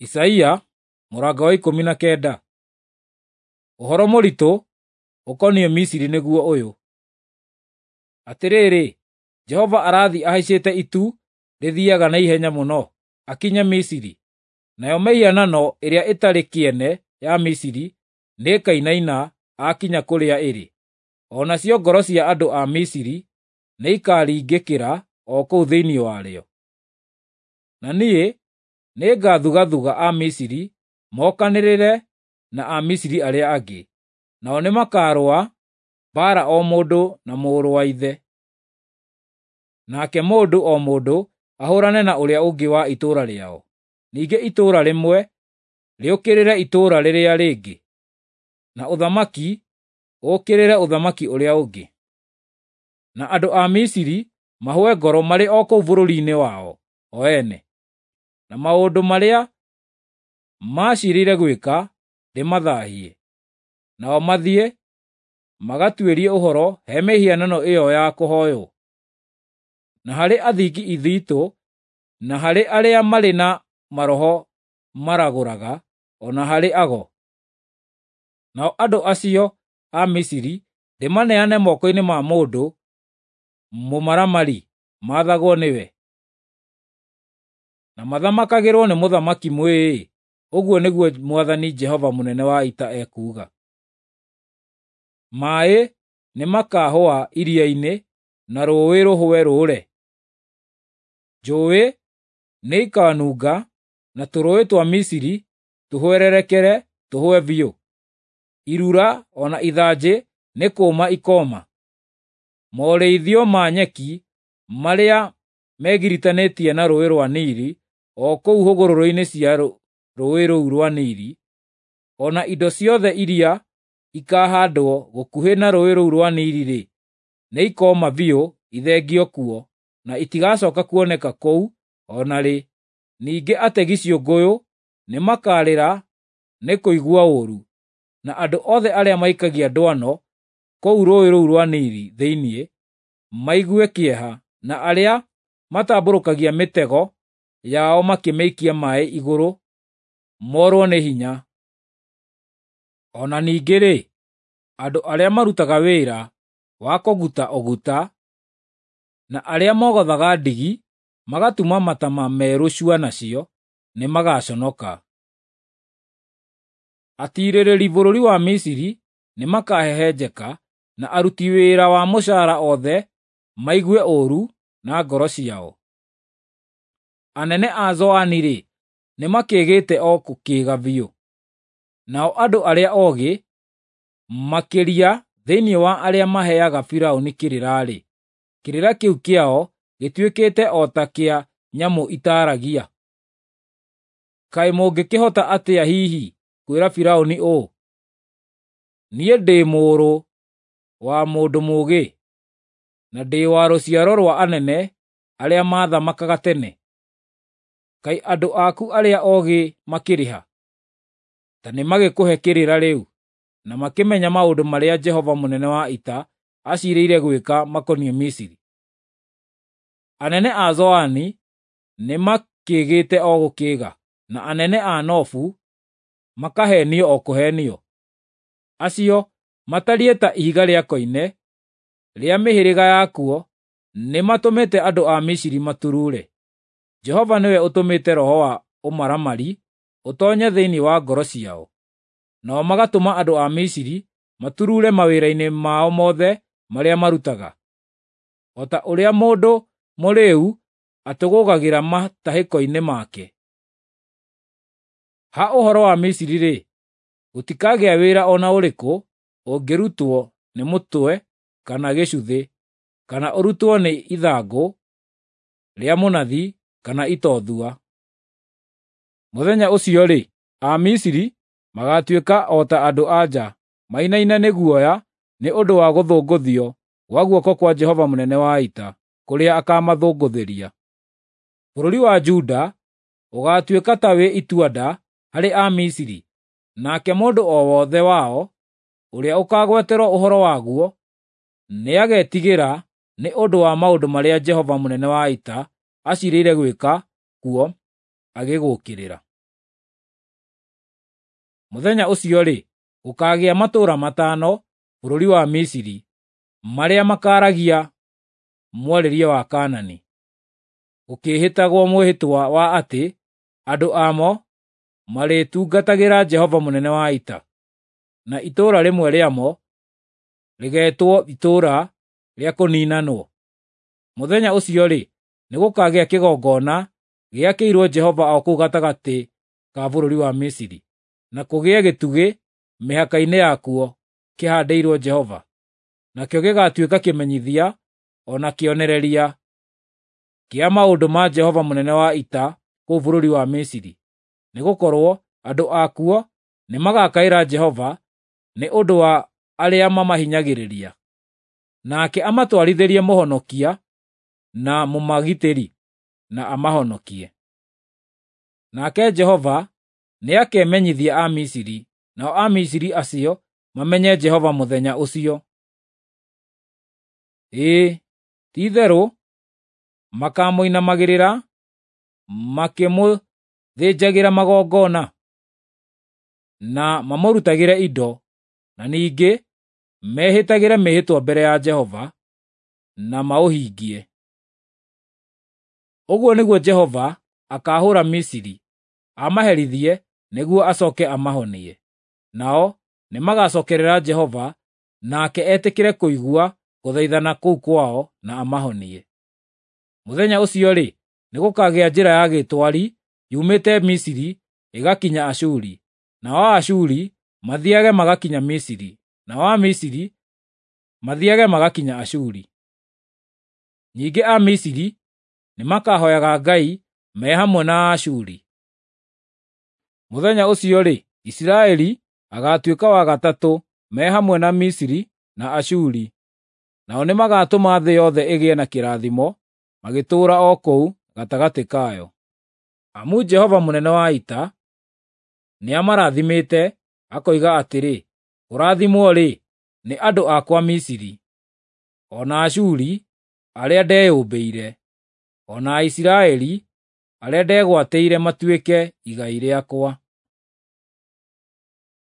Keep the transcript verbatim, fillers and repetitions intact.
Isaia mũrango wa ikũmi na kenda. Ũhoro mũritũ ũkoniĩ Misiri nĩguo ũyũ: Atĩrĩrĩ, Jehova arathiĩ ahaicĩte itu rĩthiiaga na ihenya mũno, akinye Misiri, nayo mĩhianano ĩrĩa ĩtarĩ kĩene ya Misiri nĩĩkainaina aakinya kũrĩa ĩrĩ. O nacio ngoro cia andũ a Misiri nĩikaringĩkĩra o kũu thĩinĩ warĩo. Na niĩ nĩngathugathuga Amisiri mokanĩrĩre na Amisiri arĩa angĩ, nao nĩmakarũa mbaara o mũndũ na mũrũ wa ithe, nake mũndũ o mũndũ ahũũrane na ũrĩa ũngĩ wa itũũra rĩao, ningĩ itũũra rĩmwe rĩũkĩrĩre itũũra rĩrĩa rĩngĩ, na ũthamaki ũũkĩrĩre ũthamaki ũrĩa ũngĩ. Na andũ a Misiri mahũe ngoro marĩ o kũu bũrũri-inĩ wao o ene, na maũndũ marĩa maciirĩire gwĩka ndĩmathaahie, nao mathiĩ magatuĩrie ũhoro he mĩhianano ĩyo ya kũhooywo, na harĩ athingi ithitũ, na harĩ arĩa marĩ na maroho maragũraga, o na harĩ ago. Nao andũ acio a Misiri ndĩmaneane moko-inĩ ma mũndũ mũmaramari maathagwo nĩwe, na mathamakagĩrwo nĩ mũthamaki mwĩĩĩ, ũguo nĩguo Mwathani Jehova mũnene wa ita ekuuga. Maaĩ nĩmakahũa iria-inĩ na rũũĩ rũhũe rũũre. Njũũĩ nĩikanunga na tũrũũĩ twa Misiri tũhwererekere tũhwe biũ. Irura o na ithanjĩ nĩ kũũma ikooma. Morĩithio ma nyeki marĩa megiritanĩtie na Rũũĩ rwa Nili o kũu hũgũrũrũ-inĩ cia rũũĩ rũu rwa Nili, o na indo ciothe iria ikahaandwo gũkuhĩ na rũũĩ rũu rwa Nili-rĩ, nĩikooma biũ ithengio kuo, na itigacooka kuoneka kũu o na rĩ. Ningĩ ategi ciũngũyũ nĩmakarĩra nĩ kũigua ũũru, na andũ othe arĩa maikagia ndwano kũu rũũĩ rũu rwa Nili thĩinĩ maigue kĩeha, na arĩa matambũrũkagia mĩtego yao makĩmĩikia maaĩ igũrũ moorwo nĩ hinya. O na ningĩ-rĩ, andũ arĩa marutaga wĩra wa kũguta ũguta, na arĩa mogothaga ndigi magatuma mataama merũ cua nacio, nĩmagaconoka. Atiirĩrĩri bũrũri wa Misiri nĩmakahehenjeka, na aruti wĩra wa mũcaara othe maigue ũũru na ngoro ciao. Anene a Zoani-rĩ, nĩmakĩĩgĩte o gũkĩĩga biũ, nao andũ arĩa oogĩ makĩria thĩinĩ wa arĩa maheaga Firaũni kĩrĩra-rĩ, kĩrĩra kĩu kĩao gĩtuĩkĩte o ta kĩa nyamũ itaaragia. Kaĩ mũngĩkĩhota atĩa hihi kwĩra Firaũni ũũ, “Niĩ ndĩ mũrũ wa mũndũ mũũgĩ, na ndĩ wa rũciaro rwa anene arĩa maathamakaga tene”? Kaĩ andũ aku arĩa oogĩ makĩrĩ ha? Ta nĩmagĩkũhe kĩrĩra rĩu, na makĩmenye maũndũ marĩa Jehova mũnene wa ita aciirĩire gwĩka makoniĩ Misiri. Anene a Zoani nĩmakĩĩgĩte o gũkĩĩga, na anene a Nofu makaheenio o kũheenio. Acio matariĩ ta ihiga rĩa koine rĩa mĩhĩrĩga yakuo nĩmatũmĩte andũ a Misiri maturuure. Jehova nĩwe ũtũmĩte roho wa ũmaramari ũtoonye thĩinĩ wa ngoro ciao, nao magatũma andũ a Misiri maturuure mawĩra-inĩ mao mothe marĩa marutaga, o ta ũrĩa mũndũ mũrĩĩu atũgũũgagĩra matahĩko-inĩ make. Ha ũhoro wa Misiri-rĩ, gũtikagĩa wĩra o na ũrĩkũ ũngĩrutwo nĩ mũtwe kana gĩcuthĩ, kana ũrutwo nĩ ithangũ rĩa mũnathi kana itothua. Mũthenya ũcio-rĩ, Amisiri magaatuĩka o ta andũ-a-nja, mainaine nĩ guoya nĩ ũndũ wa gũthũngũthio gwa guoko kwa Jehova mũnene wa ita, kũrĩa akaamathũngũthĩria. Bũrũri wa Juda ũgaatuĩka ta wĩ itua-nda harĩ Amisiri, nake mũndũ o wothe wao ũrĩa ũkaagweterwo ũhoro waguo nĩagetigĩra nĩ ũndũ wa maũndũ marĩa Jehova mũnene wa ita aciirĩire gwĩka kuo agĩgũũkĩrĩra. Mũthenya ũcio-rĩ, gũkaagĩa matũũra matano bũrũri wa Misiri marĩa makaaragia mwarĩrie wa Kaanani, gũkĩĩhĩtagwo mwĩhĩtwa wa atĩ andũ amo marĩtungatagĩra Jehova mũnene wa ita, na itũũra rĩmwe rĩamo rĩgeetwo Itũũra rĩa Kũniinanwo. Mũthenya ũcio-rĩ, nĩgũkagĩa kĩgongona gĩakĩirwo Jehova o kũu gatagatĩ ka bũrũri wa Misiri, na kũgĩe gĩtugĩ mĩhaka-inĩ yakuo kĩhaandĩirwo Jehova. Nakĩo gĩgaatuĩka kĩmenyithia o na kĩonereria kĩa maũndũ ma Jehova mũnene wa ita kũu bũrũri wa Misiri, nĩgũkorwo andũ akuo nĩmagakaĩra Jehova nĩ ũndũ wa arĩa mamahinyagĩrĩria, nake amatwarithĩrie mũhonokia na mũmagitĩri, na amahonokie. Nake Jehova nĩakemenyithia Amisiri, nao Amisiri acio mamenye Jehova mũthenya ũcio. Ĩĩ, ti-itherũ makamũinamagĩrĩra makĩmũthĩnjagĩra magongona, na mamũrutagĩre indo, na ningĩ mehĩtagĩre mĩĩhĩtwa mbere ya Jehova, na maũhingie. Ũguo nĩguo Jehova akaahũũra Misiri, amaherithie nĩguo acooke amahonie. Nao nĩmagacookerera Jehova, nake etĩkĩre kũigua gũthaithana kũu kwao na amahonie. Mũthenya ũcio-rĩ, nĩgũkagĩa njĩra ya gĩtwari yumĩte Misiri ĩgakinya Ashuri, nao Aashuri mathiiage magakinya Misiri, nao Amisiri mathiiage magakinya Ashuri. Ningĩ Amisiri nĩmakahooyaga Ngai me hamwe na Aashuri. Mũthenya ũcio-rĩ, Isiraeli agaatuĩka wa gatatũ me hamwe na Misiri na Ashuri, nao nĩmagatũma thĩ yothe ĩgĩe na kĩrathimo magĩtũũra o kũu gatagatĩ kayo. Amu Jehova mũnene wa ita nĩamarathimĩte, akoiga atĩrĩ, “Kũrathimwo-rĩ, nĩ andũ akwa Misiri, o na Ashuri arĩa ndeyũmbĩire, o na Aisiraeli arĩa ndegwatĩire matuĩke igai rĩakwa.”